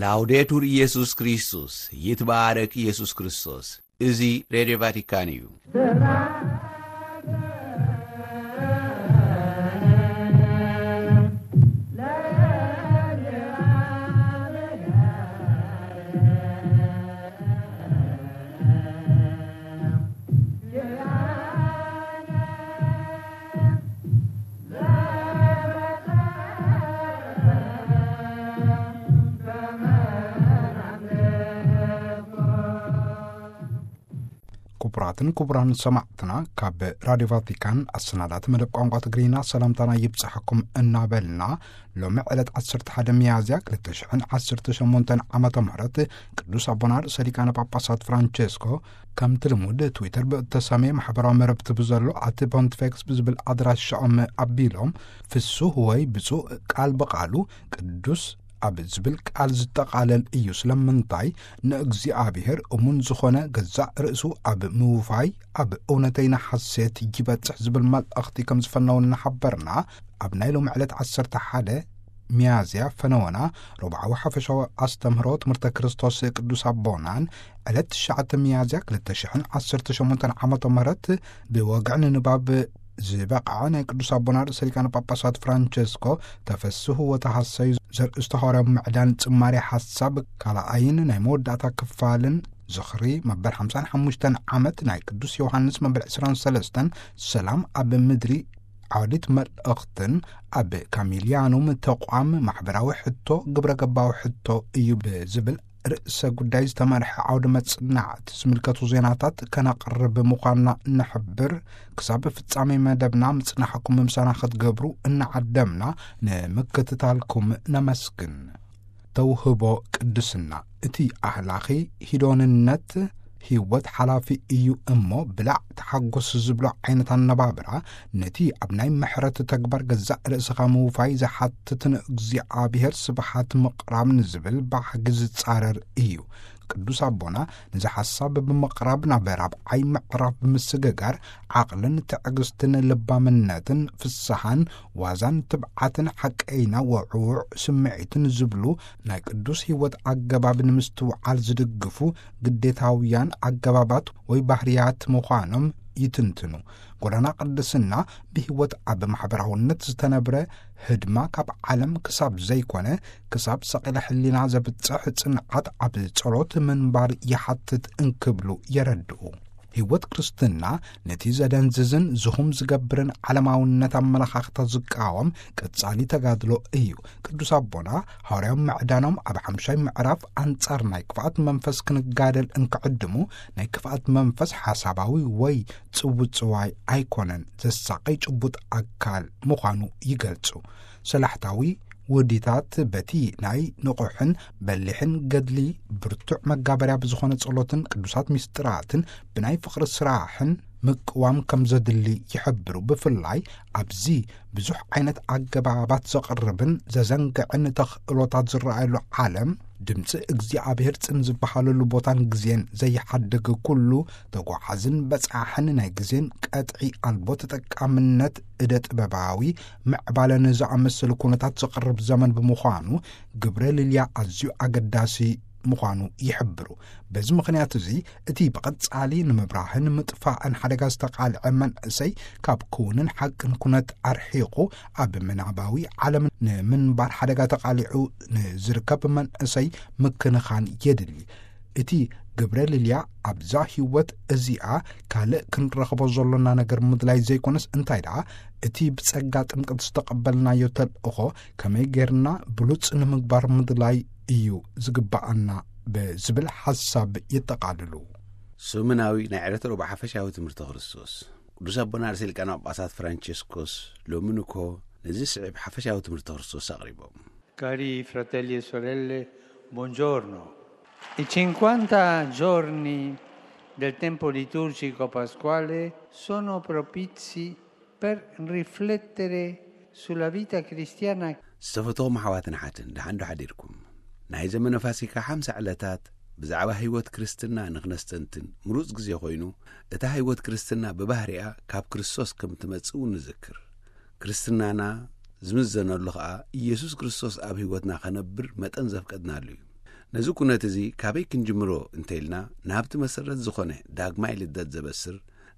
ላውዴቱር ኢየሱስ ክርስቶስ፣ ይትባረክ ኢየሱስ ክርስቶስ። እዚ ሬድዮ ቫቲካን እዩ። ክቡራትን ክቡራን ሰማዕትና፣ ካብ ራዲዮ ቫቲካን ኣሰናዳእቲ መደብ ቋንቋ ትግርኛ ሰላምታና ይብጻሕኩም እናበልና፣ ሎሚ ዕለት ዓሰርተ ሓደ ሚያዝያ ክልተ ሽሕን ዓሰርተ ሸሞንተን ዓመተ ምህረት ቅዱስ ኣቦና ርእሰ ሊቃነ ጳጳሳት ፍራንቸስኮ ከምቲ ልሙድ ትዊተር ብእተሰመየ ማሕበራዊ መረብቲ ብዘሎ ኣቲ ፖንቲፌክስ ብዝብል ኣድራሻኦም ኣቢሎም፣ ፍሱህ ወይ ብፁዕ ቃል ብቓሉ ቅዱስ ኣብ ዝብል ቃል ዝጠቓለል እዩ። ስለምንታይ? ንእግዚኣብሔር እሙን ዝኾነ ገዛእ ርእሱ ኣብ ምውፋይ ኣብ እውነተይና ሓሴት ይበጽሕ ዝብል መልእኽቲ ከም ዝፈነው እናሓበርና፣ ኣብ ናይ ሎሚ ዕለት ዓሰርተ ሓደ ሚያዝያ ፈነወና ሮብዓዊ ሓፈሻዊ ኣስተምህሮ ትምህርተ ክርስቶስ ቅዱስ ኣቦናን ዕለት ትሽዓተ ሚያዝያ ክልተ ሽሕን ዓሰርተ ሸሞንተን ዓመተ ምህረት ብወግዒ ንንባብ ዝበቕዐ ናይ ቅዱስ ኣቦና ርእሰ ሊቃነ ጳጳሳት ፍራንቸስኮ ተፈስሑ ወተሃሰዩ ዘርእስቱ ሃዋርያዊ ምዕዳን ጽማሬ ሓሳብ ካልኣይን ናይ መወዳእታ ክፋልን ዝኽሪ መበል ሓምሳን ሓሙሽተን ዓመት ናይ ቅዱስ ዮሃንስ መበል ዕስራን ሰለስተን ሰላም ኣብ ምድሪ ዓውዲት መልእኽትን ኣብ ካሚልያኑም ተቋም ማሕበራዊ ሕቶ ግብረ ገባዊ ሕቶ እዩ ብዝብል ርእሰ ጉዳይ ዝተመርሐ ዓውዲ መጽናዕቲ ዝምልከቱ ዜናታት ከነቕርብ ምዃንና ንሕብር። ክሳብ ፍጻሜ መደብና ምጽናሕኩም ምሳና ክትገብሩ እናዓደምና ንምክትታልኩም ነመስግን። ተውህቦ ቅድስና፣ እቲ ኣህላኺ ሂዶንነት ህይወት ሓላፊ እዩ እሞ፣ ብላዕ ተሓጎስ ዝብሎ ዓይነት ኣነባብራ፣ ነቲ ኣብ ናይ ምሕረት ተግባር ገዛእ ርእስኻ ምውፋይ ዝሓትት ንእግዚኣብሔር ስብሓት ምቕራብ ንዝብል ባህጊ ዝጻረር እዩ። ቅዱስ ኣቦና ነዚ ሓሳብ ብምቕራብ ናብ ራብዓይ ምዕራፍ ብምስግጋር፣ ዓቕልን ትዕግስትን ልባምነትን ፍስሓን ዋዛን ትብዓትን ሓቀይና ወዕውዕ ስምዒትን ዝብሉ ናይ ቅዱስ ህይወት ኣገባብ ንምስትውዓል ዝድግፉ ግዴታውያን ኣገባባት ወይ ባህርያት ምዃኖም ይትንትኑ። ጎዳና ቅድስና ብህይወት ኣብ ማሕበራውነት ዝተነብረ ህድማ ካብ ዓለም ክሳብ ዘይኮነ፣ ክሳብ ሰቒለ ሕሊና ዘብጽሕ ጽንዓት ኣብ ጸሎት ምንባር ይሓትት እንክብሉ የረድኡ። ህይወት ክርስትና ነቲ ዘደንዝዝን ዝኹም ዝገብርን ዓለማውነት ኣመለኻኽታ ዝቃወም ቀጻሊ ተጋድሎ እዩ። ቅዱስ ኣቦና ሃዋርያዊ ምዕዳኖም ኣብ ሓምሻይ ምዕራፍ ኣንጻር ናይ ክፍኣት መንፈስ ክንጋደል እንክዕድሙ፣ ናይ ክፍኣት መንፈስ ሓሳባዊ ወይ ጽውጽዋይ ኣይኮነን፣ ዘሳቐይ ጭቡጥ ኣካል ምዃኑ ይገልጹ። ሰላሕታዊ ውዲታት በቲ ናይ ንቑሕን በሊሕን ገድሊ ብርቱዕ መጋበርያ ብዝኾነ ጸሎትን ቅዱሳት ምስጢራትን ብናይ ፍቕሪ ስራሕን ምቅዋም ከም ዘድሊ ይሕብሩ። ብፍላይ ኣብዚ ብዙሕ ዓይነት ኣገባባት ዘቕርብን ዘዘንግዕን ተኽእሎታት ዝረኣየሉ ዓለም፣ ድምፂ እግዚኣብሔር ጽን ዝበሃለሉ ቦታን ግዜን ዘይሓድግ ኩሉ ተጓዓዝን በጻሕን ናይ ግዜን ቀጥዒ ኣልቦ ተጠቃምነት እደ ጥበባዊ ምዕባለን ዝኣመሰሉ ኩነታት ዘቕርብ ዘመን ብምዃኑ፣ ግብረ ልልያ ኣዝዩ ኣገዳሲ ምዃኑ ይሕብሩ። በዚ ምኽንያት እዚ፣ እቲ ብቐጻሊ ንምብራህን ምጥፋእን ሓደጋ ዝተቓልዐ መንእሰይ፣ ካብ ክውንን ሓቅን ኩነት ኣርሒቑ፣ ኣብ ምናባዊ ዓለም ንምንባር ሓደጋ ተቓሊዑ ንዝርከብ መንእሰይ ምክንኻን የድሊ። እቲ ግብረ ልልያ ኣብዛ ህይወት እዚኣ ካልእ ክንረኽቦ ዘሎና ነገር ምድላይ ዘይኮነስ፣ እንታይ ደኣ፣ እቲ ብጸጋ ጥምቀት ዝተቐበልናዮ ተልእኾ ከመይ ጌርና ብሉጽ ንምግባር ምድላይ እዩ ዝግብኣና ብዝብል ሓሳብ የጠቓልሉ። ሰሙናዊ ናይ ዕለተ ረቡዕ ሓፈሻዊ ትምህርቲ ክርስቶስ። ቅዱስ ኣቦና ርእሰ ሊቃነ ጳጳሳት ፍራንቸስኮስ ሎሚ ንግሆ ነዚ ስዕብ ሓፈሻዊ ትምህርቲ ክርስቶስ ኣቕሪቦም። Cari fratelli e sorelle, buongiorno. I cinquanta giorni del tempo liturgico pasquale sono propizi per riflettere sulla vita cristiana. ዝተፈተኹም ኣሕዋትን ኣሓትን፣ ደሓን ዶ ሓዲርኩም? ናይ ዘመነ ፋሲካ ሓምሳ ዕለታት ብዛዕባ ህይወት ክርስትና ንኽነስተንትን ምሩጽ ግዜ ኮይኑ፣ እታ ህይወት ክርስትና ብባህሪኣ ካብ ክርስቶስ ከም ትመጽእ እውን ንዝክር። ክርስትናና ዝምዘነሉ ኸኣ ኢየሱስ ክርስቶስ ኣብ ህይወትና ኸነብር መጠን ዘፍቀድናሉ እዩ። ነዚ ኩነት እዚ ካበይ ክንጅምሮ እንተኢልና፣ ናብቲ መሰረት ዝኾነ ዳግማይ ልደት ዘበስር፣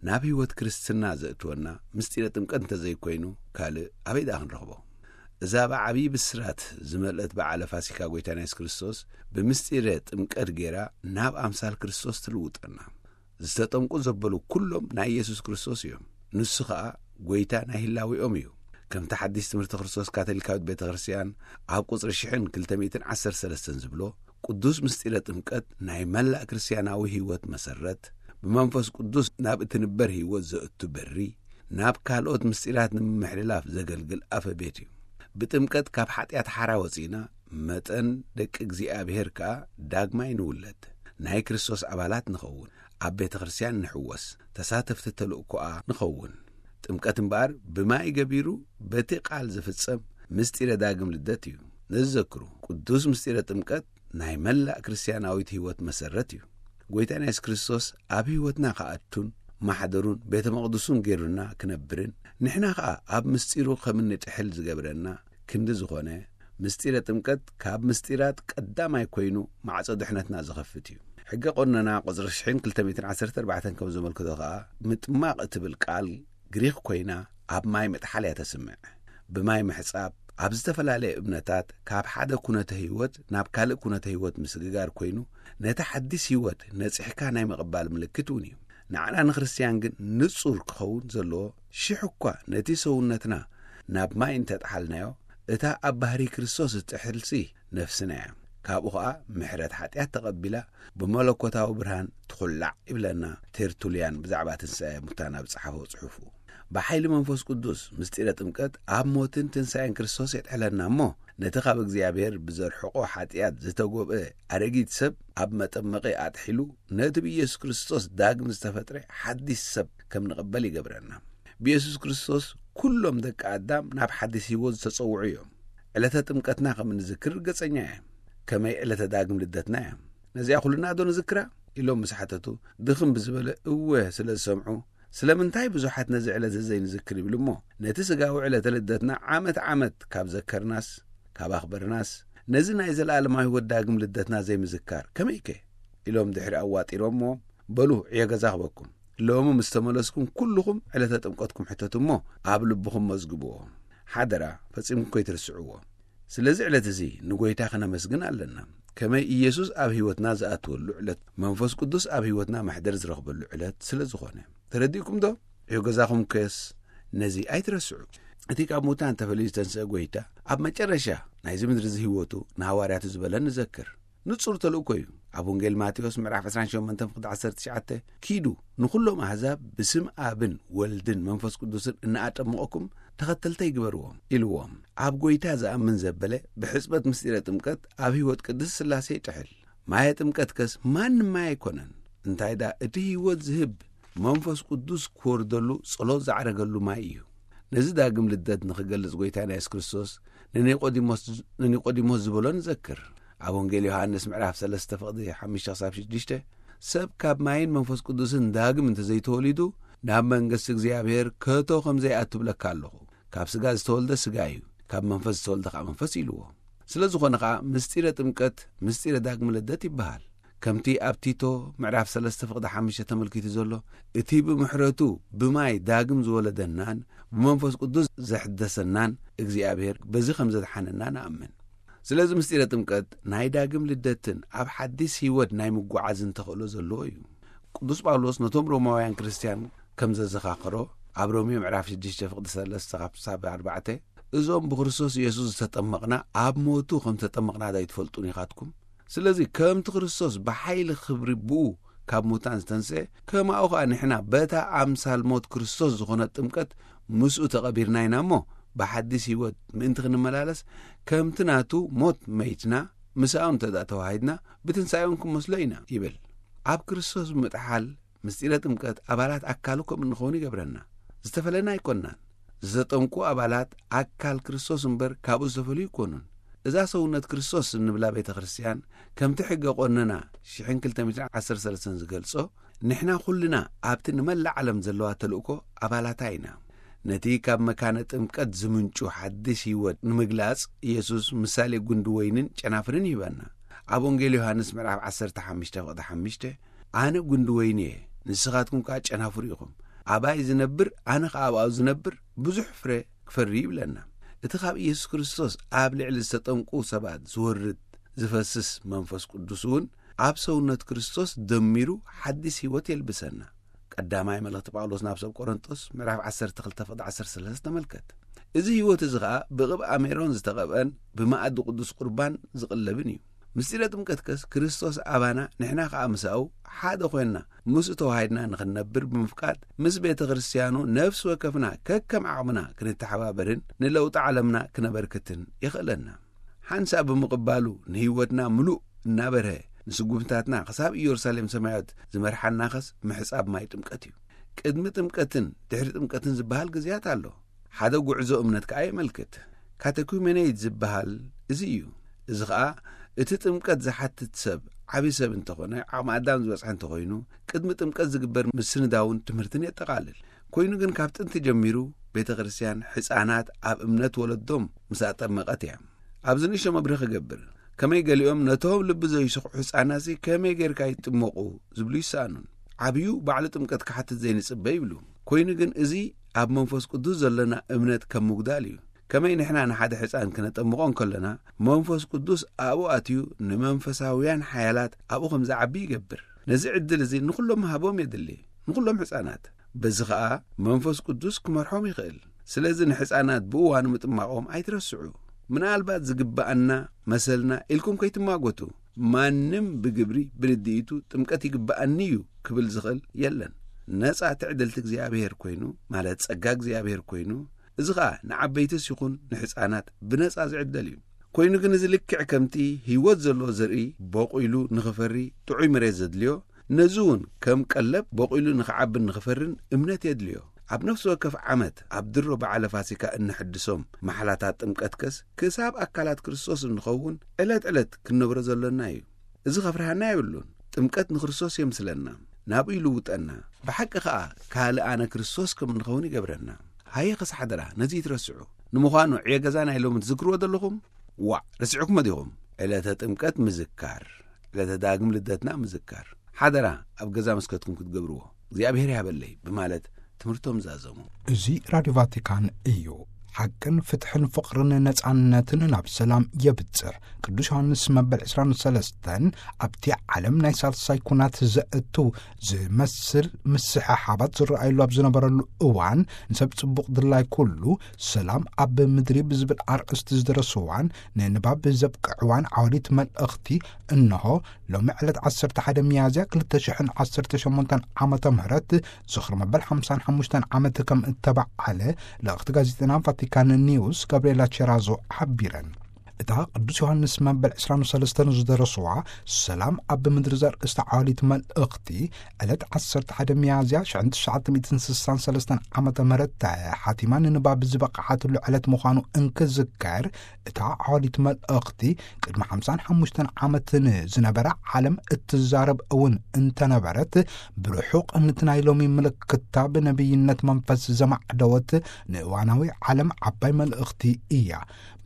ናብ ህይወት ክርስትና ዘእትወና ምስጢረ ጥምቀት እንተዘይኮይኑ፣ ካልእ ኣበይ ደኣ ክንረኽቦ? እዛ ብዓብዪ ብስራት ዝመልአት በዓለ ፋሲካ ጐይታና የሱስ ክርስቶስ፣ ብምስጢረ ጥምቀት ገይራ ናብ ኣምሳል ክርስቶስ ትልውጠና። ዝተጠምቁ ዘበሉ ኩሎም ናይ የሱስ ክርስቶስ እዮም። ንሱ ኸኣ ጐይታ ናይ ህላዌኦም እዩ። ከምቲ ሓዲስ ትምህርቲ ክርስቶስ ካቶሊካዊት ቤተ ክርስቲያን ኣብ ቁጽሪ ሽሕን ክልተ ሚእትን ዓሰርተ ሰለስተን ዝብሎ፣ ቅዱስ ምስጢረ ጥምቀት ናይ መላእ ክርስትያናዊ ህይወት መሰረት፣ ብመንፈስ ቅዱስ ናብ እትንበር ህይወት ዘእቱ በሪ፣ ናብ ካልኦት ምስጢራት ንምምሕልላፍ ዘገልግል ኣፈ ቤት እዩ። ብጥምቀት ካብ ሓጢኣት ሓራ ወጺእና፣ መጠን ደቂ እግዚኣብሔር ከኣ ዳግማይ ንውለድ፣ ናይ ክርስቶስ ኣባላት ንኸውን፣ ኣብ ቤተ ክርስቲያን ንሕወስ፣ ተሳተፍቲ ተልእኮኣ ንኸውን። ጥምቀት እምበኣር ብማይ ገቢሩ በቲ ቃል ዝፍጸም ምስጢረ ዳግም ልደት እዩ። ነዚ ዘክሩ፣ ቅዱስ ምስጢረ ጥምቀት ናይ መላእ ክርስትያናዊት ህይወት መሰረት እዩ። ጐይታና የሱስ ክርስቶስ ኣብ ህይወትና ክኣቱን ማሕደሩን ቤተ መቕደሱን ገይሩና ክነብርን፣ ንሕና ኸኣ ኣብ ምስጢሩ ከም እንጥሕል ዝገብረና ክንዲ ዝኾነ፣ ምስጢረ ጥምቀት ካብ ምስጢራት ቀዳማይ ኮይኑ ማዕጾ ድሕነትና ዝኸፍት እዩ። ሕገ ቆነና ቁጽሪ ሽሕን ክልተ ሚእትን ዓሰርተ ኣርባዕተን ከም ዘመልክቶ ኸኣ፣ ምጥማቕ እትብል ቃል ግሪኽ ኮይና ኣብ ማይ ምጥሓል እያ ተስምዕ። ብማይ ምሕጻብ ኣብ ዝተፈላለየ እምነታት ካብ ሓደ ኩነተ ህይወት ናብ ካልእ ኩነተ ህይወት ምስግጋር ኮይኑ፣ ነቲ ሓዲስ ህይወት ነጺሕካ ናይ ምቕባል ምልክት እውን እዩ። ንዓና ንክርስትያን ግን ንጹር ክኸውን ዘለዎ፣ ሽሕ እኳ ነቲ ሰውነትና ናብ ማይ እንተጠሓልናዮ፣ እታ ኣብ ባህሪ ክርስቶስ እትጥሕልሲ ነፍስና እያ። ካብኡ ኸኣ ምሕረት ሓጢኣት ተቐቢላ ብመለኮታዊ ብርሃን ትኹላዕ ይብለና ቴርቱልያን ብዛዕባ ትንሳኤ ሙታን ኣብ ዝጸሓፎ ጽሑፉ። ብሓይሊ መንፈስ ቅዱስ ምስጢረ ጥምቀት ኣብ ሞትን ትንሳኤን ክርስቶስ የጥሕለና እሞ፣ ነቲ ካብ እግዚኣብሔር ብዘርሕቆ ሓጢኣት ዝተጎብአ ኣረጊት ሰብ ኣብ መጠመቒ ኣጥሒሉ፣ ነቲ ብኢየሱስ ክርስቶስ ዳግም ዝተፈጥረ ሓዲስ ሰብ ከም ንቕበል ይገብረና። ብኢየሱስ ክርስቶስ ኩሎም ደቂ ኣዳም ናብ ሓዲስ ህይወት ዝተጸውዑ እዮም። ዕለተ ጥምቀትና ከም እንዝክር ርግጸኛ እየ። ከመይ ዕለተ ዳግም ልደትና እያ። ነዚኣ ኩልና ዶ ንዝክራ? ኢሎም ምስ ሓተቱ፣ ድኽም ብዝበለ እወ ስለ ዝሰምዑ፣ ስለምንታይ ብዙሓት ነዚ ዕለት እዚ ዘይንዝክር ይብሉ እሞ፣ ነቲ ስጋዊ ዕለተ ልደትና ዓመት ዓመት ካብ ዘከርናስ፣ ካብ ኣኽበርናስ፣ ነዚ ናይ ዘለኣለማዊ ህይወት ዳግም ልደትና ዘይምዝካር ከመይከ? ኢሎም ድሕሪ ኣዋጢሮምዎ፣ በሉ ዕዮ ገዛ ክበኩም። ሎሚ ምስ ተመለስኩም ኩልኹም ዕለተ ጥምቀትኩም ሕተቱ እሞ፣ ኣብ ልብኹም መዝግብዎ። ሓደራ፣ ፈጺምኩም ከይትርስዕዎ። ስለዚ ዕለት እዚ ንጎይታ ክነመስግን ኣለና። ከመይ ኢየሱስ ኣብ ህይወትና ዝኣትወሉ ዕለት፣ መንፈስ ቅዱስ ኣብ ህይወትና መሕደር ዝረኽበሉ ዕለት ስለ ዝኾነ። ተረዲእኩም ዶ? ዕዮ ገዛኹም ከስ ነዚ ኣይትረስዑ። እቲ ካብ ሙታን ተፈልዩ ዝተንስአ ጎይታ፣ ኣብ መጨረሻ ናይዚ ምድሪ እዚ ህይወቱ ንሃዋርያቱ ዝበለ ንዘክር። ንጹር ተልእኮ እዩ። ኣብ ወንጌል ማቴዎስ ምዕራፍ ዕስራን ሸሞንተን ፍቕዲ ዓሰርተ ትሽዓተ፣ "ኪዱ ንኹሎም ኣህዛብ ብስም ኣብን ወልድን መንፈስ ቅዱስን እናኣጠመቕኩም ተኸተልተይ ግበርዎም" ኢልዎም። ኣብ ጎይታ ዝኣምን ዘበለ ብሕጽበት ምስጢረ ጥምቀት ኣብ ህይወት ቅድስት ስላሴ ይጥሕል። ማየ ጥምቀት ከስ ማንም ማይ ኣይኮነን። እንታይ ደኣ እቲ ህይወት ዝህብ መንፈስ ቅዱስ ክወርደሉ ጸሎት ዝዓረገሉ ማይ እዩ። ነዚ ዳግም ልደት ንኽገልጽ ጎይታና የሱስ ክርስቶስ ንኒቆዲሞስ፣ ንኒቆዲሞስ ዝበሎ ንዘክር። ኣብ ወንጌል ዮሃንስ ምዕራፍ ሰለስተ ፍቕዲ ሓሙሽተ ክሳብ ሽዱሽተ፣ "ሰብ ካብ ማይን መንፈስ ቅዱስን ዳግም እንተዘይተወሊዱ ናብ መንግስቲ እግዚኣብሔር ከቶ ከም ዘይኣቱ እብለካ ኣለኹ። ካብ ስጋ ዝተወልደ ስጋ እዩ፣ ካብ መንፈስ ዝተወልደ ከኣ መንፈስ" ኢልዎ። ስለ ዝኾነ ከኣ ምስጢረ ጥምቀት ምስጢረ ዳግም ልደት ይበሃል። ከምቲ ኣብ ቲቶ ምዕራፍ ሰለስተ ፍቕዲ ሓሙሽተ ተመልኪቱ ዘሎ፣ እቲ ብምሕረቱ ብማይ ዳግም ዝወለደናን ብመንፈስ ቅዱስ ዘሕደሰናን እግዚኣብሔር በዚ ከም ዘድሓነና ንኣምን። ስለዚ ምስጢረ ጥምቀት ናይ ዳግም ልደትን ኣብ ሓዲስ ህይወት ናይ ምጓዓዝን ተኽእሎ ዘለዎ እዩ። ቅዱስ ጳውሎስ ነቶም ሮማውያን ክርስትያን ከም ዘዘኻኸሮ፣ ኣብ ሮሜ ምዕራፍ ሽዱሽተ ፍቕዲ ሰለስተ ካብ ክሳብ ኣርባዕተ፣ "እዞም ብክርስቶስ ኢየሱስ ዝተጠመቕና ኣብ ሞቱ ከም ዝተጠመቕና ዶ ኣይትፈልጡን ኢኻትኩም? ስለዚ ከምቲ ክርስቶስ ብሓይሊ ክብሪ ብኡ ካብ ሙታን ዝተንስአ፣ ከማኡ ኸኣ ንሕና በታ ኣምሳል ሞት ክርስቶስ ዝኾነት ጥምቀት ምስኡ ተቐቢርና ኢና እሞ፣ ብሓዲስ ህይወት ምእንቲ ክንመላለስ፣ ከምቲ ናቱ ሞት መይትና፣ ምሳኡ እንተ ደኣ ተዋሂድና፣ ብትንሳኤ እውን ክንመስሎ ኢና" ይብል። ኣብ ክርስቶስ ብምጥሓል፣ ምስጢረ ጥምቀት ኣባላት ኣካሉ ከም እንኸውን ይገብረና። ዝተፈለና ኣይኮንናን። ዝተጠምቁ ኣባላት ኣካል ክርስቶስ እምበር፣ ካብኡ ዝተፈልዩ ኣይኮኑን። እዛ ሰውነት ክርስቶስ እንብላ ቤተ ክርስቲያን፣ ከምቲ ሕገ ቆነና ሽሕን ክልተ ሚእትን ዓሰርተ ሰለስተን ዝገልጾ፣ ንሕና ኩልና ኣብቲ ንመላእ ዓለም ዘለዋ ተልእኮ ኣባላታ ኢና። ነቲ ካብ መካነ ጥምቀት ዝምንጩ ሓድሽ ህይወት ንምግላጽ፣ ኢየሱስ ምሳሌ ጉንዲ ወይንን ጨናፍርን ይህበና። ኣብ ወንጌል ዮሃንስ ምዕራፍ ዓሰርተ ሓሙሽተ ፍቕዲ ሓሙሽተ፣ "ኣነ ጉንዲ ወይኒ እየ፣ ንስኻትኩም ከኣ ጨናፍሩ ኢኹም። ኣባይ ዝነብር፣ ኣነ ኸኣ ኣብኡ ዝነብር፣ ብዙሕ ፍረ ክፈሪ" ይብለና። እቲ ካብ ኢየሱስ ክርስቶስ ኣብ ልዕሊ ዝተጠምቁ ሰባት ዝወርድ ዝፈስስ መንፈስ ቅዱስ እውን ኣብ ሰውነት ክርስቶስ ደሚሩ ሓዲስ ህይወት የልብሰና። ቀዳማይ መልእኽቲ ጳውሎስ ናብ ሰብ ቆሮንቶስ ምዕራፍ ዓሰርተ ክልተ ፍቕዲ ዓሰርተ ሰለስተ ተመልከት። እዚ ህይወት እዚ ኸኣ ብቕብኣ ሜሮን ዝተቐብአን ብመኣዲ ቅዱስ ቁርባን ዝቕለብን እዩ። ምስጢረ ጥምቀት ከስ ክርስቶስ ኣባና ንሕና ኸኣ ምሳኡ ሓደ ኾይንና ምስኡ ተዋሂድና ንኽንነብር ብምፍቃድ ምስ ቤተ ክርስቲያኑ ነፍሲ ወከፍና ከከም ዓቕምና ክንተሓባበርን ንለውጢ ዓለምና ክነበርክትን የኽእለና። ሓንሳእ ብምቕባሉ ንህይወትና ምሉእ እናበርሀ ንስጉምታትና ክሳብ ኢየሩሳሌም ሰማያዊት ዝመርሓናኸስ ምሕጻብ ማይ ጥምቀት እዩ። ቅድሚ ጥምቀትን ድሕሪ ጥምቀትን ዝበሃል ግዜያት ኣሎ። ሓደ ጉዕዞ እምነት ከኣ የመልክት። ካተኩሜኔይት ዝበሃል እዚ እዩ። እዚ ኸኣ እቲ ጥምቀት ዝሓትት ሰብ ዓቢ ሰብ እንተኾነ፣ ዓቕሚ ኣዳም ዝበጽሐ እንተኾይኑ፣ ቅድሚ ጥምቀት ዝግበር ምስንዳውን ትምህርትን የጠቓልል። ኮይኑ ግን ካብ ጥንቲ ጀሚሩ ቤተ ክርስቲያን ሕፃናት ኣብ እምነት ወለዶም ምስ ኣጠመቐት እያ። ኣብዚ ንእሽቶ መብርሂ ክገብር፣ ከመይ ገሊኦም ነቶም ልቢ ዘይስኽዑ ሕፃናትሲ ከመይ ጌርካ ይጥመቑ ዝብሉ ይሰኣኑን። ዓብዩ ባዕሉ ጥምቀት ክሓትት ዘይንጽበ ይብሉ። ኮይኑ ግን እዚ ኣብ መንፈስ ቅዱስ ዘለና እምነት ከም ምጉዳል እዩ። ከመይ ንሕና ንሓደ ሕፃን ክነጠምቖ እንከለና መንፈስ ቅዱስ ኣብኡ ኣትዩ ንመንፈሳውያን ሓያላት ኣብኡ ከም ዝዓቢ ይገብር። ነዚ ዕድል እዚ ንኹሎም ምሃቦም የድሊ፣ ንኹሎም ሕፃናት። በዚ ኸኣ መንፈስ ቅዱስ ክመርሖም ይኽእል። ስለዚ ንሕፃናት ብእዋኑ ምጥማቖም ኣይትረስዑ። ምናልባት ዝግብኣና መሰልና ኢልኩም ከይትማጎቱ። ማንም ብግብሪ ብርድኢቱ ጥምቀት ይግብኣኒ እዩ ክብል ዝኽእል የለን። ነጻ ትዕድልቲ እግዚኣብሔር ኮይኑ፣ ማለት ጸጋ እግዚኣብሔር ኮይኑ፣ እዚ ኸኣ ንዓበይትስ ይኹን ንሕፃናት ብነጻ ዝዕደል እዩ። ኮይኑ ግን እዚ ልክዕ ከምቲ ህይወት ዘለዎ ዘርኢ በቑሉ ንኽፈሪ ጥዑይ መሬት ዘድልዮ፣ ነዚ እውን ከም ቀለብ በቑሉ ንኽዓብን ንኽፈርን እምነት የድልዮ። ኣብ ነፍሲ ወከፍ ዓመት ኣብ ድሮ በዓለ ፋሲካ እንሕድሶም ማሕላታት ጥምቀት ከስ ክሳብ ኣካላት ክርስቶስ እንኸውን ዕለት ዕለት ክንነብሮ ዘሎና እዩ። እዚ ኸፍርሃና የብሉን። ጥምቀት ንክርስቶስ የምስለና፣ ናብኡ ይልውጠና። ብሓቂ ኸኣ ካልእ ኣነ ክርስቶስ ከም እንኸውን ይገብረና። ሃየ ኸስ ሓደራ ነዚ ይትረስዑ። ንምዃኑ ዕየ ገዛ ናይ ሎሚ ትዝክርዎ ዘለኹም? ዋዕ፣ ረሲዕኩሞ ዲኹም? ዕለተ ጥምቀት ምዝካር፣ ዕለተ ዳግም ልደትና ምዝካር። ሓደራ ኣብ ገዛ መስከትኩም ክትገብርዎ እግዚኣብሔር ይሃበለይ ብማለት ትምህርቶም ዛዘሙ። እዚ ራድዮ ቫቲካን እዩ። ሓቅን ፍትሕን ፍቕርን ነጻነትን ናብ ሰላም የብጽሕ። ቅዱስ ዮሃንስ መበል ዕስራን ሰለስተን ኣብቲ ዓለም ናይ ሳልሳይ ኩናት ዘእቱ ዝመስል ምስሕሓባት ዝረኣየሉ ኣብ ዝነበረሉ እዋን፣ ንሰብ ጽቡቕ ድላይ ኩሉ ሰላም ኣብ ምድሪ ብዝብል ኣርእስቲ ዝደረስዋን ንንባብ ዘብቅዕዋን ዓወዲት መልእኽቲ እንሆ ሎሚ ዕለት ዓሰርተ ሓደ ሚያዝያ ክልተ ሽሕን ዓሰርተ ሸሞንተን ዓመተ ምህረት ዝኽሪ መበል ሓምሳን ሓሙሽተን ዓመት ከም እተበዓለ ልእኽቲ ጋዜጠና ቫቲካን ኒውስ ጋብርኤላ ቸራዞ ሓቢረን። እታ ቅዱስ ዮሃንስ መበል ዕስራን ሰለስተን ዝደረስዋ ሰላም ኣብ ምድሪ ዘርእስታ ዓዋሊት መልእኽቲ፣ ዕለት ዓሰርተ ሓደ ሚያዝያ ሽሕን ትሽዓተ ሚእትን ስሳን ሰለስተን ዓመተ ምህረት ተሓቲማ ንንባብ ዝበቕዓትሉ ዕለት ምዃኑ እንክዝከር፣ እታ ዓዋሊት መልእኽቲ ቅድሚ ሓምሳን ሓሙሽተን ዓመት ንዝነበረ ዓለም እትዛረብ እውን እንተነበረት፣ ብርሑቕ ነቲ ናይ ሎሚ ምልክታ ብነቢይነት መንፈስ ዘማዕደወት ንእዋናዊ ዓለም ዓባይ መልእኽቲ እያ።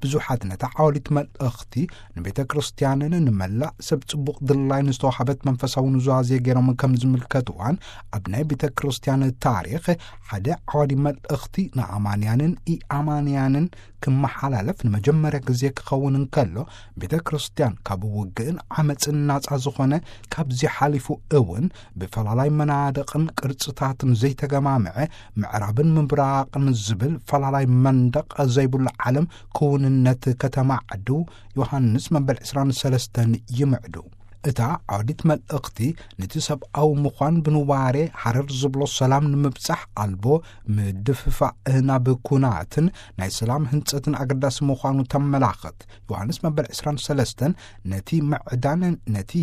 ብዙሓት ነታ ዓዋሊት መልእኽቲ ንቤተ ክርስቲያንን ንመላእ ሰብ ጽቡቕ ድላይ ንዝተዋህበት መንፈሳዊ ኑዛዜ ገይሮም ከም ዝምልከትዋን፣ ኣብ ናይ ቤተ ክርስቲያን ታሪኽ ሓደ ዓዋዲ መልእኽቲ ንኣማንያንን ኢኣማንያንን ክመሓላለፍ ንመጀመርያ ግዜ ክኸውን እንከሎ፣ ቤተ ክርስቲያን ካብ ውግእን ዓመጽን ናጻ ዝኾነ፣ ካብዚ ሓሊፉ እውን ብፈላላይ መናድቕን ቅርጽታትን ዘይተገማምዐ ምዕራብን ምብራቕን ዝብል ፈላላይ መንደቕ ዘይብሉ ዓለም ክውንነት ከተማዕድው ዮሃንስ መበል ዕስራን ሰለስተን ይምዕዱ። እታ ዓውዲት መልእኽቲ ነቲ ሰብኣዊ ምዃን ብንዋሬ ሃረር ዝብሎ ሰላም ንምብጻሕ ኣልቦ ምድፍፋእ ናብ ኩናትን ናይ ሰላም ህንጸትን ኣገዳሲ ምዃኑ ተመላኽት። ዮሃንስ መበል ዕስራን ሰለስተን ነቲ ምዕዳን ነቲ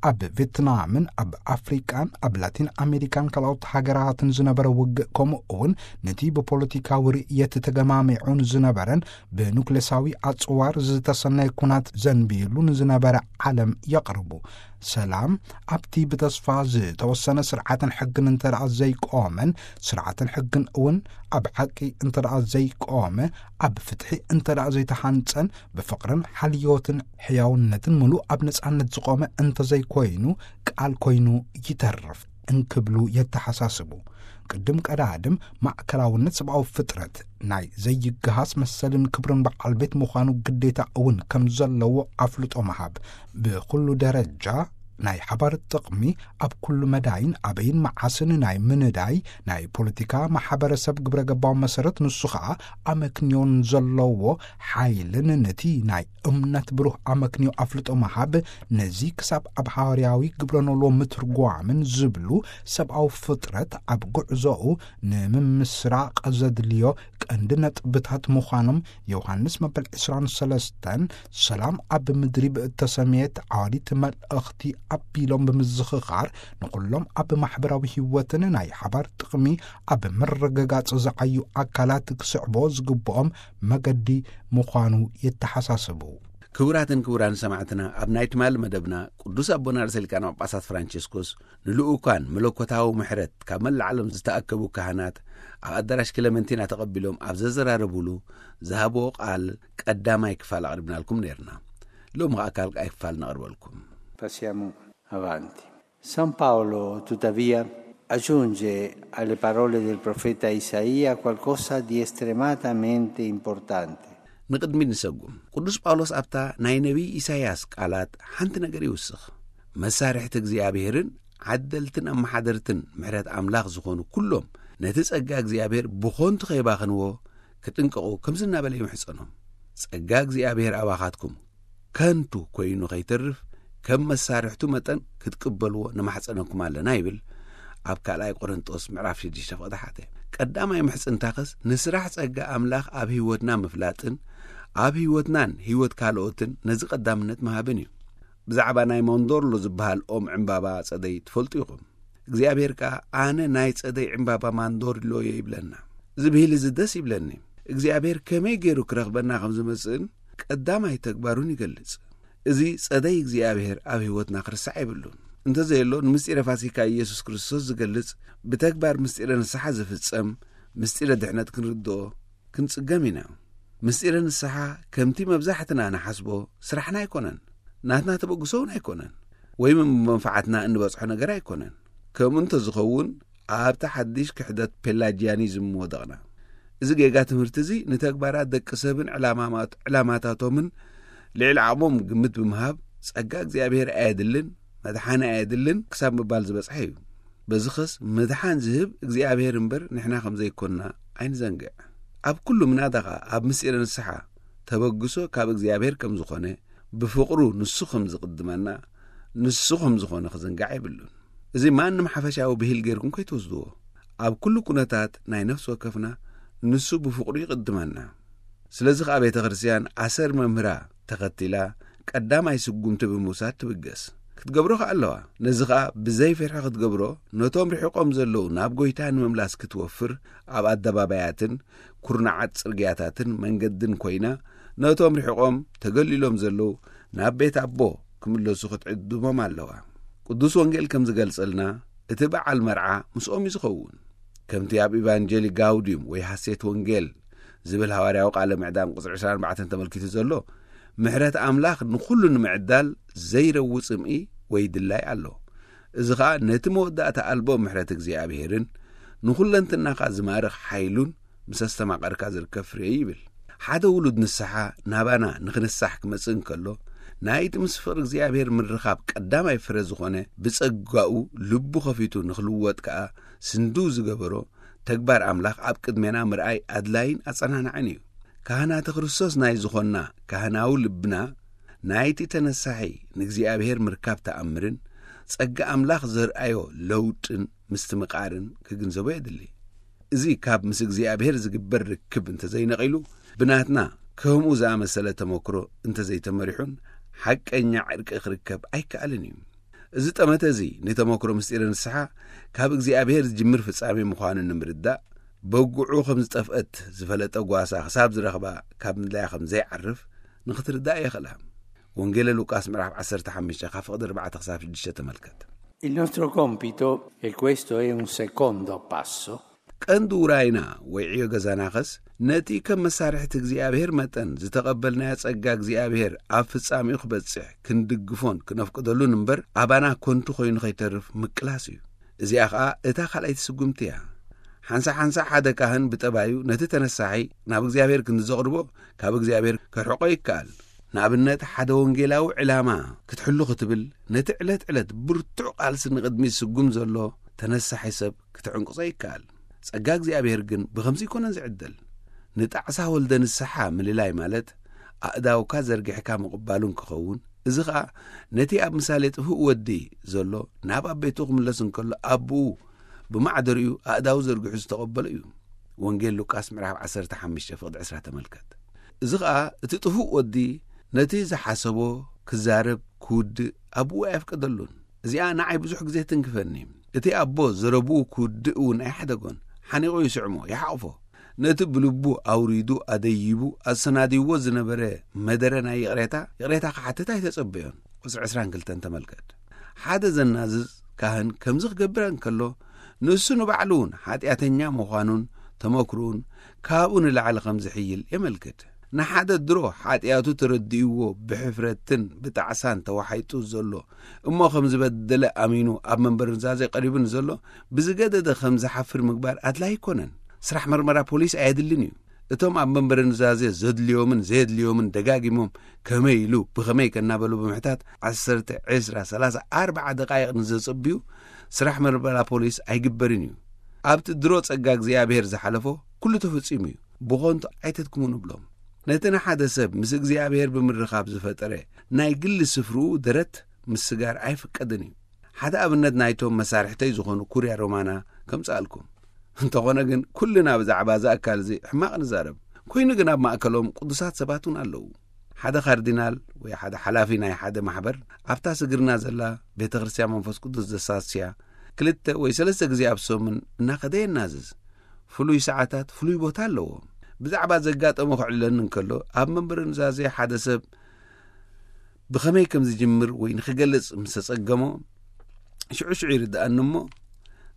ኣብ ቬትናምን ኣብ ኣፍሪቃን ኣብ ላቲን ኣሜሪካን ካልኦት ሃገራትን ዝነበረ ውግእ፣ ከምኡ እውን ነቲ ብፖለቲካዊ ርእየት ተገማሚዑን ዝነበረን ብኑክሌሳዊ ኣጽዋር ዝተሰነየ ኩናት ዘንቢሉ ንዝነበረ ዓለም የቕርቡ። ሰላም ኣብቲ ብተስፋ ዝተወሰነ ስርዓትን ሕግን እንተ ደኣ ዘይቆመን፣ ስርዓትን ሕግን እውን ኣብ ሓቂ እንተ ደኣ ዘይቆመ፣ ኣብ ፍትሒ እንተ ደኣ ዘይተሃንጸን፣ ብፍቕርን ሓልዮትን ሕያውነትን ምሉእ ኣብ ነጻነት ዝቆመ እንተ ዘይኮይኑ፣ ቃል ኮይኑ ይተርፍ እንክብሉ የተሓሳስቡ። ቅድም ቀዳድም ማእከላውነት ሰብኣዊ ፍጥረት ናይ ዘይገሃስ መሰልን ክብርን በዓል ቤት ምዃኑ ግዴታ እውን ከም ዘለዎ ኣፍልጦ ምሃብ፣ ብኹሉ ደረጃ ናይ ሓባር ጥቕሚ ኣብ ኩሉ መዳይን ኣበይን መዓስን ናይ ምንዳይ ናይ ፖለቲካ ማሕበረሰብ ግብረ ገባዊ መሰረት፣ ንሱ ኸኣ ኣመክንዮን ዘለዎ ሓይልን ነቲ ናይ እምነት ብሩህ ኣመክንዮ ኣፍልጦ ምሃብ፣ ነዚ ክሳብ ኣብ ሃዋርያዊ ግብረ ኖሎ ምትርጓምን ዝብሉ ሰብኣዊ ፍጥረት ኣብ ጉዕዞኡ ንምምስራቕ ዘድልዮ ቀንዲ ነጥብታት ምዃኖም ዮሃንስ መበል ዕስራን ሰለስተን ሰላም ኣብ ምድሪ ብእተሰምየት ዓዋዲት መልእኽቲ ኣቢሎም ብምዝኽኻር፣ ንኹሎም ኣብ ማሕበራዊ ህይወትን ናይ ሓባር ጥቕሚ ኣብ ምርግጋጽ ዝዓዩ ኣካላት ክስዕቦ ዝግብኦም መገዲ ምዃኑ የተሓሳስቡ። ክቡራትን ክቡራን ሰማዕትና፣ ኣብ ናይ ትማሊ መደብና ቅዱስ ኣቦና ርእሰ ሊቃነ ጳጳሳት ፍራንቸስኮስ ንልኡካን መለኮታዊ ምሕረት ካብ መላእ ዓለም ዝተኣከቡ ካህናት ኣብ ኣዳራሽ ክለመንቲና ተቐቢሎም ኣብ ዘዘራረቡሉ ዝሃብዎ ቃል ቀዳማይ ክፋል ኣቕሪብናልኩም ነይርና። ሎሚ ኸኣ ካልኣይ ክፋል ነቕርበልኩም። Passiamo avanti. San Paolo, tuttavia, aggiunge alle parole del profeta Isaia qualcosa di estremamente importante. ንቕድሚት ንሰጉም። ቅዱስ ጳውሎስ ኣብታ ናይ ነቢይ ኢሳይያስ ቃላት ሓንቲ ነገር ይውስኽ። መሳርሕቲ እግዚኣብሔርን ዓደልትን ኣመሓደርትን ምሕረት ኣምላኽ ዝኾኑ ኩሎም ነቲ ጸጋ እግዚኣብሔር ብኾንቱ ከይባኽንዎ ክጥንቀቑ ከምዚ እናበለ ይምሕጸኖም። ጸጋ እግዚኣብሔር ኣባኻትኩም ከንቱ ኮይኑ ከይተርፍ ከም መሳርሕቱ መጠን ክትቅበልዎ ንማሕጸነኩም ኣለና ይብል ኣብ ካልኣይ ቆሮንጦስ ምዕራፍ ሽዱሽተ ፍቕዲ ሓደ። ቀዳማይ ምሕጽንታኸስ ንስራሕ ጸጋ ኣምላኽ ኣብ ህይወትና ምፍላጥን ኣብ ህይወትናን ህይወት ካልኦትን ነዚ ቀዳምነት ምሃብን እዩ። ብዛዕባ ናይ ሞንዶርሎ ዝበሃል ኦም ዕምባባ ጸደይ ትፈልጡ ኢኹም። እግዚኣብሔር ከኣ ኣነ ናይ ጸደይ ዕምባባ ማንዶርሎ እየ ይብለና። እዚ ብሂል እዚ ደስ ይብለኒ። እግዚኣብሔር ከመይ ገይሩ ክረኽበና ከም ዝመጽእን ቀዳማይ ተግባሩን ይገልጽ። እዚ ጸደይ እግዚኣብሔር ኣብ ህይወትና ክርስዕ የብሉን። እንተዘየሎ ንምስጢረ ፋሲካ ኢየሱስ ክርስቶስ ዝገልጽ ብተግባር ምስጢረ ንስሓ ዝፍጸም ምስጢረ ድሕነት ክንርድኦ ክንጽገም ኢና። ምስጢረ ንስሓ ከምቲ መብዛሕትና ንሓስቦ ስራሕና ኣይኮነን፣ ናትና ተበግሶ እውን ኣይኮነን፣ ወይም ብመንፋዓትና እንበጽሖ ነገር ኣይኮነን። ከምኡ እንተዝኸውን ኣብቲ ሓድሽ ክሕደት ፔላጂያኒዝም ምወደቕና። እዚ ጌጋ ትምህርቲ እዚ ንተግባራት ደቂ ሰብን ዕላማማት-፣ ዕላማታቶምን ልዕሊ ዓቕሞም ግምት ብምሃብ ጸጋ እግዚኣብሔር ኣየድልን፣ መድሓኒ ኣየድልን ክሳብ ምባል ዝበጽሐ እዩ። በዚ ኸስ ምድሓን ዝህብ እግዚኣብሔር እምበር ንሕና ከም ዘይኮንና ኣይንዘንግዕ። ኣብ ኩሉ ምናዳ ኸኣ ኣብ ምስጢረ ንስሓ ተበግሶ ካብ እግዚኣብሔር ከም ዝኾነ፣ ብፍቕሩ ንሱ ከም ዝቕድመና፣ ንሱ ከም ዝኾነ ክዝንጋዕ የብሉን። እዚ ማንም ሓፈሻዊ ብሂል ጌርኩም ከይትወስድዎ። ኣብ ኩሉ ኩነታት ናይ ነፍሲ ወከፍና ንሱ ብፍቕሩ ይቕድመና። ስለዚ ኸኣ ቤተ ክርስቲያን ኣሰር መምህራ ተኸቲላ ቀዳማይ ስጉምቲ ብምውሳድ ትብገስ። ክትገብሮ ኸኣ ኣለዋ። ነዚ ኸኣ ብዘይ ፍርሒ ክትገብሮ፣ ነቶም ርሒቖም ዘለዉ ናብ ጐይታ ንምምላስ ክትወፍር፣ ኣብ ኣደባባያትን ኩርናዓት ጽርግያታትን መንገድን ኮይና፣ ነቶም ርሒቖም ተገሊሎም ዘለዉ ናብ ቤት ኣቦ ክምለሱ ክትዕድሞም ኣለዋ። ቅዱስ ወንጌል ከም ዝገልጸልና፣ እቲ በዓል መርዓ ምስኦም እዩ ዝኸውን። ከምቲ ኣብ ኢቫንጀሊ ጋውዲዩም ወይ ሃሴት ወንጌል ዝብል ሃዋርያዊ ቃለ ምዕዳን ቁጽሪ ዕስራን ኣርባዕተን ተመልኪቱ ዘሎ፣ ምሕረት ኣምላኽ ንኹሉ ንምዕዳል ዘይረዊ ጽምኢ ወይ ድላይ ኣሎ። እዚ ኸኣ ነቲ መወዳእታ ኣልቦ ምሕረት እግዚኣብሔርን ንኹለንትናኻ ዝማርኽ ሓይሉን ምስ ኣስተማቐርካ ዝርከብ ፍሬ እዩ ይብል። ሓደ ውሉድ ንስሓ ናባና ንኽንሳሕ ክመጽእ እንከሎ፣ ናይቲ ምስ ፍቕሪ እግዚኣብሔር ምርኻብ ቀዳማይ ፍረ ዝኾነ ብጸጋኡ ልቡ ኸፊቱ ንኽልወጥ ከኣ ስንድው ዝገበሮ ተግባር ኣምላኽ ኣብ ቅድሜና ምርኣይ ኣድላይን ኣጸናናዕን እዩ። ካህናተ ክርስቶስ ናይ ዝኾንና ካህናዊ ልብና ናይቲ ተነሳሒ ንእግዚኣብሔር ምርካብ ተኣምርን ጸጋ ኣምላኽ ዘርኣዮ ለውጥን ምስትምቓርን ክግንዘቦ የድሊ። እዚ ካብ ምስ እግዚኣብሔር ዝግበር ርክብ እንተዘይነቒሉ፣ ብናትና ከምኡ ዝኣመሰለ ተመክሮ እንተዘይተመሪሑን ሓቀኛ ዕርቂ ክርከብ ኣይከኣልን እዩ። እዚ ጠመተ እዚ ንተመክሮ ምስጢረ ንስሓ ካብ እግዚኣብሔር ዝጅምር ፍጻሜ ምዃኑ ንምርዳእ፣ በጉዑ ከም ዝጠፍአት ዝፈለጠ ጓሳ ክሳብ ዝረኽባ ካብ ምድላያ ከም ዘይዓርፍ ንኽትርዳእ የኽእላ። ወንጌለ ሉቃስ ምዕራፍ ዓሰርተ ሓሙሽተ ካብ ፍቕዲ ኣርባዕተ ክሳብ ሽዱሽተ ተመልከት። Il nostro compito, e questo è un secondo passo, ቀንዲ ውራይና ወይ ዕዮ ገዛናኸስ ነቲ ከም መሳርሕቲ እግዚኣብሔር መጠን ዝተቐበልናዮ ጸጋ እግዚኣብሔር ኣብ ፍጻሜኡ ክበጽሕ ክንድግፎን ክነፍቅደሉን እምበር ኣባና ኮንቱ ኮይኑ ከይተርፍ ምቅላስ እዩ። እዚኣ ኸኣ እታ ካልኣይቲ ስጉምቲ እያ። ሓንሳ ሓንሳ ሓደ ካህን ብጠባዩ ነቲ ተነሳሒ ናብ እግዚኣብሔር ክንዘቕርቦ ካብ እግዚኣብሔር ክርሕቆ ይከኣል። ንኣብነት ሓደ ወንጌላዊ ዕላማ ክትሕሉ ክትብል ነቲ ዕለት ዕለት ብርቱዕ ቃልሲ ንቕድሚት ዝስጉም ዘሎ ተነሳሒ ሰብ ክትዕንቅጾ ይከኣል። ጸጋ እግዚኣብሔር ግን ብኸምዚ ኣይኮነን ዝዕደል። ንጣዕሳ ወልደ ንስሓ ምልላይ ማለት ኣእዳውካ ዘርጊሕካ ምቕባሉን ክኸውን፣ እዚ ኸኣ ነቲ ኣብ ምሳሌ ጥፉእ ወዲ ዘሎ ናብ ኣቤቱ ክምለስ እንከሎ ኣቦኡ ብማዕደሪኡ ኣእዳው ዘርጊሑ ዝተቐበሎ እዩ። ወንጌል ሉቃስ ምዕራፍ ዓሰርተ ሓሙሽተ ፍቕዲ ዕስራ ተመልከት። እዚ ኸኣ እቲ ጥፉእ ወዲ ነቲ ዝሓሰቦ ክዛረብ ክውድእ ኣቦኡ ኣየፍቀደሉን። እዚኣ ንዓይ ብዙሕ ግዜ ትንክፈኒ። እቲ ኣቦ ዘረብኡ ክውድእ እውን ኣይሓደጎን። ሓኒቑ ይስዕሞ፣ ይሓቕፎ። ነቲ ብልቡ ኣውሪዱ ኣደይቡ ኣሰናዲዎ ዝነበረ መደረ ናይ ይቕሬታ፣ ይቕሬታ ክሓትት ኣይተጸበዮን። ቁጽሪ ዕስራን ክልተን ተመልከት። ሓደ ዘናዝዝ ካህን ከምዚ ክገብር እንከሎ፣ ንሱ ንባዕሉ እውን ሓጢኣተኛ ምዃኑን ተመክሮኡን ካብኡ ንላዕሊ ከም ዝሕይል የመልክት። ንሓደ ድሮ ሓጢኣቱ ተረዲእዎ ብሕፍረትን ብጣዕሳን ተዋሒጡ ዘሎ እሞ ከም ዝበደለ ኣሚኑ ኣብ መንበር ኑዛዜ ቀሪቡ ንዘሎ ብዝገደደ ከም ዝሓፍር ምግባር ኣድላይ ኣይኮነን። ስራሕ መርመራ ፖሊስ ኣየድልን እዩ። እቶም ኣብ መንበሪ ኑዛዜ ዘድልዮምን ዘየድልዮምን ደጋጊሞም ከመይ ኢሉ ብኸመይ ከናበሉ ብምሕታት ዓሰርተ፣ ዕስራ፣ ሰላሳ፣ ኣርባዓ ደቃይቕ ንዘጸብዩ ስራሕ መርመራ ፖሊስ ኣይግበርን እዩ። ኣብቲ ድሮ ጸጋ እግዚኣብሔር ዝሓለፎ ኩሉ ተፈጺሙ እዩ። ብኾንቱ ኣይተድክሙ ንብሎም። ነቲ ንሓደ ሰብ ምስ እግዚኣብሔር ብምርኻብ ዝፈጠረ ናይ ግሊ ስፍርኡ ደረት ምስጋር ኣይፍቀድን እዩ። ሓደ ኣብነት ናይቶም መሳርሕተይ ዝኾኑ ኩርያ ሮማና ከምጽኣልኩም። እንተኾነ ግን ኩልና ብዛዕባ እዚ ኣካል እዚ ሕማቕ ንዛረብ። ኮይኑ ግን ኣብ ማእከሎም ቅዱሳት ሰባት እውን ኣለዉ። ሓደ ካርዲናል ወይ ሓደ ሓላፊ ናይ ሓደ ማሕበር ኣብታ ስግርና ዘላ ቤተ ክርስቲያን መንፈስ ቅዱስ ዘሳስያ ክልተ ወይ ሰለስተ ግዜ ኣብ ሰሙን እናኸደ የናዝዝ። ፍሉይ ሰዓታት ፍሉይ ቦታ ኣለዎ። ብዛዕባ ዘጋጠሞ ክዕልለኒ እንከሎ ኣብ መንበሪ ኑዛዜ ሓደ ሰብ ብኸመይ ከም ዝጅምር ወይ ንኽገልጽ ምስ ተጸገሞ ሽዑ ሽዑ ይርድኣኒ እሞ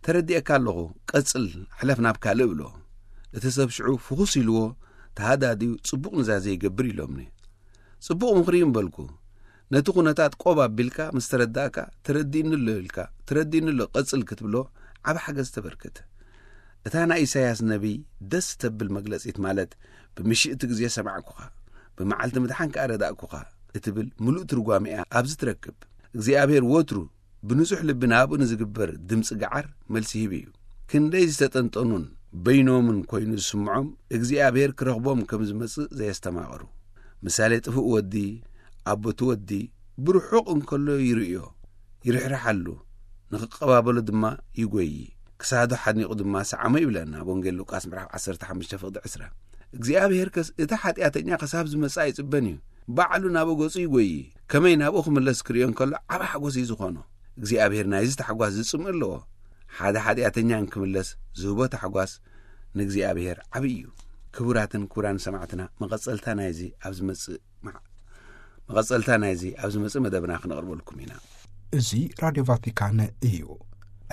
ተረዲኤካ ኣለኹ፣ ቀጽል፣ ሕለፍ ናብ ካልእ እብሎ። እቲ ሰብ ሽዑ ፍኹስ ኢልዎ ተሃዳድዩ ጽቡቕ ኑዛዜ ይገብር ኢሎምኒ። ጽቡቕ ምኽሪ እዩ ምበልኩ። ነቲ ኩነታት ቆብ ኣቢልካ ምስ ተረዳእካ ተረዲእኒ ኣሎ ኢልካ፣ ተረዲእኒ ኣሎ ቀጽል ክትብሎ ዓቢ ሓገዝ ተበርክት። እታ ናይ ኢሳያስ ነቢይ ደስ ተብል መግለጺት ማለት ብምሽእቲ ግዜ ሰማዕኩኻ፣ ብመዓልቲ ምድሓን ከኣ ረዳእኩኻ እትብል ምሉእ ትርጓሜ እያ ኣብዚ ትረክብ። እግዚኣብሔር ወትሩ ብንጹሕ ልቢ ናብኡ ንዝግበር ድምጺ ገዓር መልሲ ሂቡ እዩ። ክንደይ ዝተጠንጠኑን በይኖምን ኮይኑ ዝስምዖም እግዚኣብሔር ክረኽቦም ከም ዝመጽእ ዘየስተማቐሩ። ምሳሌ ጥፉእ ወዲ፣ ኣቦቲ ወዲ ብርሑቕ እንከሎ ይርእዮ፣ ይርሕርሓሉ፣ ንኽቀባበሎ ድማ ይጎዪ። ክሳዱ ሓኒቑ ድማ ሰዓሞ ይብለና ኣብ ወንጌል ሉቃስ ምዕራፍ ዓሰርተ ሓሙሽተ ፍቕዲ ዕስራ። እግዚኣብሔር ከስ እቲ ሓጢኣተኛ ክሳብ ዝመጽእ ኣይጽበን እዩ። ባዕሉ ናብ ገጹ ይጎዪ። ከመይ ናብኡ ክምለስ ክርእዮ እንከሎ ዓቢ ሓጎስ እዩ ዝኾኖ። እግዚኣብሔር ናይዚ ታሕጓስ ዝጽምእ ኣለዎ። ሓደ ሓጢኣተኛ እንክምለስ ዝህቦ ታሕጓስ ንእግዚኣብሔር ዓቢ እዩ። ክቡራትን ክቡራን ሰማዕትና፣ መቐጸልታ ናይዚ ኣብ ዝመጽእ መዓ-፣ መቐጸልታ ናይዚ ኣብ ዝመጽእ መደብና ክነቕርበልኩም ኢና። እዚ ራድዮ ቫቲካን እዩ።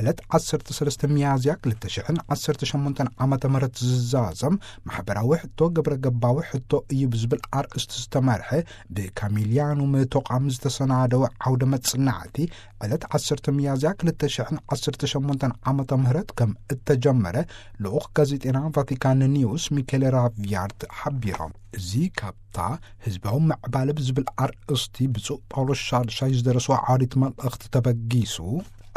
ዕለት ዓሰርተ ሰለስተ ሚያዝያ ክልተ ሽሕን ዓሰርተ ሸሞንተን ዓመተ ምህረት ዝዛዘም ማሕበራዊ ሕቶ ግብረ ገባዊ ሕቶ እዩ ብዝብል ኣርእስቲ ዝተመርሐ ብካሚሊያኑም ተቋም ዝተሰናደወ ዓውደ መጽናዕቲ ዕለት ዓሰርተ ሚያዝያ ክልተ ሽሕን ዓሰርተ ሸሞንተን ዓመተ ምህረት ከም እተጀመረ ልኡኽ ጋዜጤና ቫቲካን ኒውስ ሚኬል ራቪያርት ሓቢሮም። እዚ ካብታ ህዝባዊ ምዕባለ ብዝብል ኣርእስቲ ብፁዕ ጳውሎስ ሻድሻይ ዝደረስዎ ዓውዲት መልእኽቲ ተበጊሱ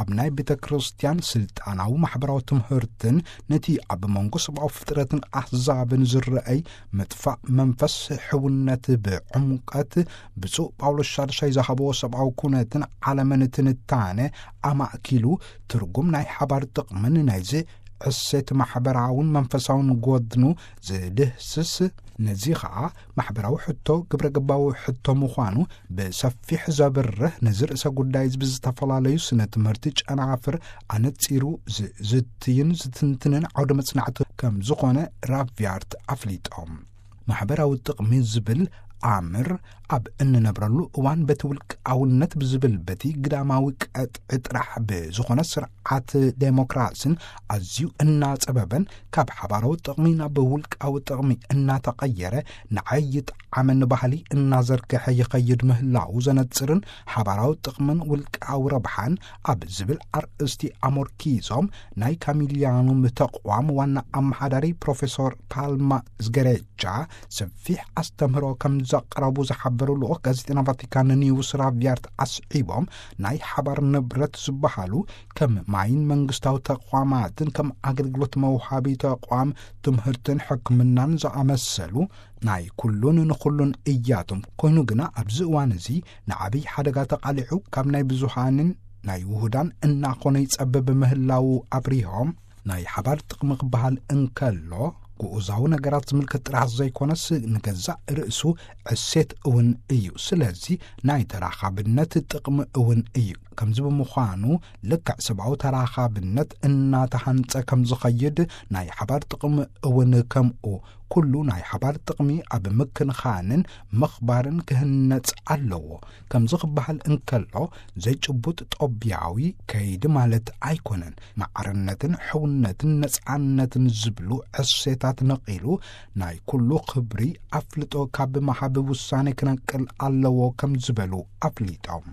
ኣብ ናይ ቤተ ክርስቲያን ስልጣናዊ ማሕበራዊ ትምህርትን ነቲ ኣብ መንጎ ሰብኣዊ ፍጥረትን ኣሕዛብን ዝረኣይ ምጥፋእ መንፈስ ሕውነት ብዕምቀት ብፁዕ ጳውሎስ ሻድሻይ ዝሃብዎ ሰብኣዊ ኩነትን ዓለምን ትንታነ ኣማእኪሉ ትርጉም ናይ ሓባር ጥቕምን ናይዚ ዕሴት ማሕበራውን መንፈሳውን ጎድኑ ዝድህስስ፣ ነዚ ኸኣ ማሕበራዊ ሕቶ ግብረ ገባዊ ሕቶ ምዃኑ ብሰፊሕ ዘብርህ፣ ነዚ ርእሰ ጉዳይ እዚ ብዝተፈላለዩ ስነ ትምህርቲ ጨናፍር ኣነጺሩ ዝዝትይን ዝትንትንን ዓውደ መጽናዕቲ ከም ዝኾነ ራቪያርት ኣፍሊጦም። ማሕበራዊ ጥቕሚ ዝብል ኣምር ኣብ እንነብረሉ እዋን በቲ ውልቃውነት ብዝብል በቲ ግዳማዊ ቀጥዒ ጥራሕ ብዝኾነ ስርዓት ዴሞክራስን ኣዝዩ እናጸበበን ካብ ሓባራዊ ጥቕሚ ናብ ውልቃዊ ጥቕሚ እናተቐየረ ንዓይ ይጥዓመኒ ባህሊ እናዘርግሐ ይኸይድ ምህላው ዘነጽርን ሓባራዊ ጥቕምን ውልቃዊ ረብሓን ኣብ ዝብል ኣርእስቲ ኣሞርኪዞም ናይ ካሚሊያኑም ተቋም ዋና ኣመሓዳሪ ፕሮፌሶር ፓልማ ዝገሬጃ ሰፊሕ ኣስተምህሮ ከም ዘቕረቡ ዝሓበሩ ልኡኽ ጋዜጠና ቫቲካን ኒውስ ራቪያርት ኣስዒቦም ናይ ሓባር ንብረት ዝበሃሉ ከም ማይን መንግስታዊ ተቋማትን ከም ኣገልግሎት መውሃቢ ተቋም ትምህርትን ሕክምናን ዝኣመሰሉ ናይ ኩሉን ንኹሉን እያቶም። ኮይኑ ግና ኣብዚ እዋን እዚ ንዓብይ ሓደጋ ተቓሊዑ ካብ ናይ ብዙሃንን ናይ ውሁዳን እናኾነ ይጸብብ ምህላው ኣብሪሆም ናይ ሓባር ጥቕሚ ክበሃል እንከሎ ግኡዛዊ ነገራት ዝምልከት ጥራሕ ዘይኮነስ ንገዛእ ርእሱ ዕሴት እውን እዩ። ስለዚ ናይ ተራኻብነት ጥቕሚ እውን እዩ። ከምዚ ብምዃኑ ልክዕ ሰብኣዊ ተራኻብነት እናተሃንጸ ከም ዝኸይድ ናይ ሓባር ጥቕሚ እውን ከምኡ ኩሉ ናይ ሓባር ጥቕሚ ኣብ ምክንኻንን ምኽባርን ክህነጽ ኣለዎ። ከምዚ ክበሃል እንከሎ ዘይጭቡጥ ጦብያዊ ከይዲ ማለት ኣይኮነን። ማዕርነትን ሕውነትን ነጻነትን ዝብሉ ዕሴታት ነቒሉ ናይ ኩሉ ክብሪ ኣፍልጦ ካብ መሃቢ ውሳኔ ክነቅል ኣለዎ ከም ዝበሉ ኣፍሊጦም።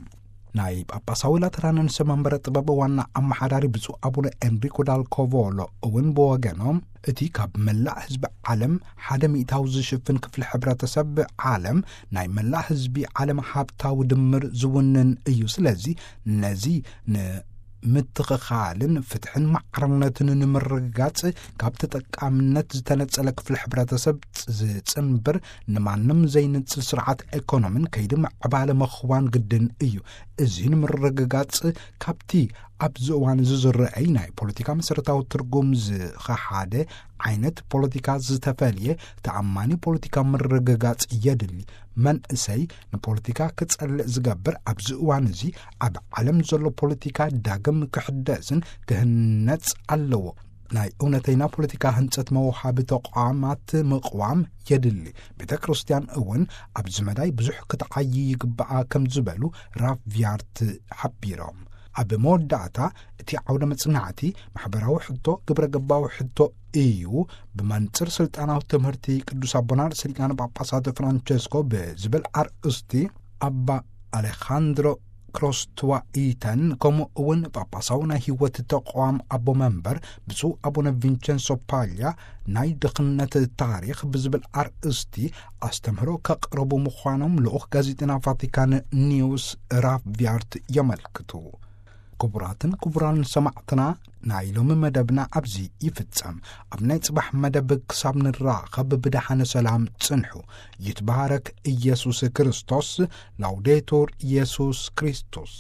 ናይ ጳጳሳዊ ላተራን ርእሰ መንበረ ጥበብ ዋና ኣመሓዳሪ ብፁዕ ኣቡነ ኤንሪኮ ዳል ኮቮሎ እውን ብወገኖም እቲ ካብ መላእ ህዝቢ ዓለም ሓደ ሚእታዊ ዝሽፍን ክፍሊ ሕብረተሰብ ዓለም ናይ መላእ ህዝቢ ዓለም ሃብታዊ ድምር ዝውንን እዩ። ስለዚ ነዚ ንምትኽኻልን ፍትሕን ማዕርነትን ንምርግጋጽ ካብ ተጠቃምነት ዝተነጸለ ክፍሊ ሕብረተሰብ ዝጽንብር ንማንም ዘይንጽል ስርዓት ኤኮኖሚን ከይዲ ምዕባለ ምኽዋን ግድን እዩ። እዚ ንምርግጋጽ ካብቲ ኣብዚ እዋን እዚ ዝረአይ ናይ ፖለቲካ መሰረታዊ ትርጉም ዝኸሓደ ዓይነት ፖለቲካ ዝተፈልየ ተኣማኒ ፖለቲካ ምርግጋጽ የድሊ። መንእሰይ ንፖለቲካ ክጸልእ ዝገብር ኣብዚ እዋን እዚ ኣብ ዓለም ዘሎ ፖለቲካ ዳግም ክሕደስን ክህነጽ ኣለዎ። ናይ እውነተይና ፖለቲካ ህንጸት መውሃቢ ተቋማት ምቕዋም የድሊ። ቤተ ክርስቲያን እውን ኣብዚ መዳይ ብዙሕ ክትዓይ ይግባኣ ከም ዝበሉ ራቪያርት ሓቢሮም። ኣብ መወዳእታ እቲ ዓውደ መጽናዕቲ ማሕበራዊ ሕቶ፣ ግብረ ገባዊ ሕቶ እዩ። ብመንጽር ስልጣናዊ ትምህርቲ ቅዱስ ኣቦና ርእሰ ሊቃነ ጳጳሳት ፍራንቸስኮ ብዝብል ኣርእስቲ ኣባ ኣሌኻንድሮ ክሮስትዋኢተን ከምኡ እውን ጳጳሳዊ ናይ ህይወት ተቋም ኣቦ መንበር ብፁዕ ኣቡነ ቪንቸንሶ ፓልያ ናይ ድኽነት ታሪኽ ብዝብል ኣርእስቲ ኣስተምህሮ ከቕረቡ ምዃኖም ልኡኽ ጋዜጠና ቫቲካን ኒውስ ራቪያርት የመልክቱ። ክቡራትን ክቡራን ሰማዕትና ናይ ሎሚ መደብና ኣብዚ ይፍጸም። ኣብ ናይ ጽባሕ መደብ ክሳብ ንራኸብ ብደሓነ ሰላም ጽንሑ። ይትባረክ ኢየሱስ ክርስቶስ። ላውዴቱር ኢየሱስ ክርስቶስ።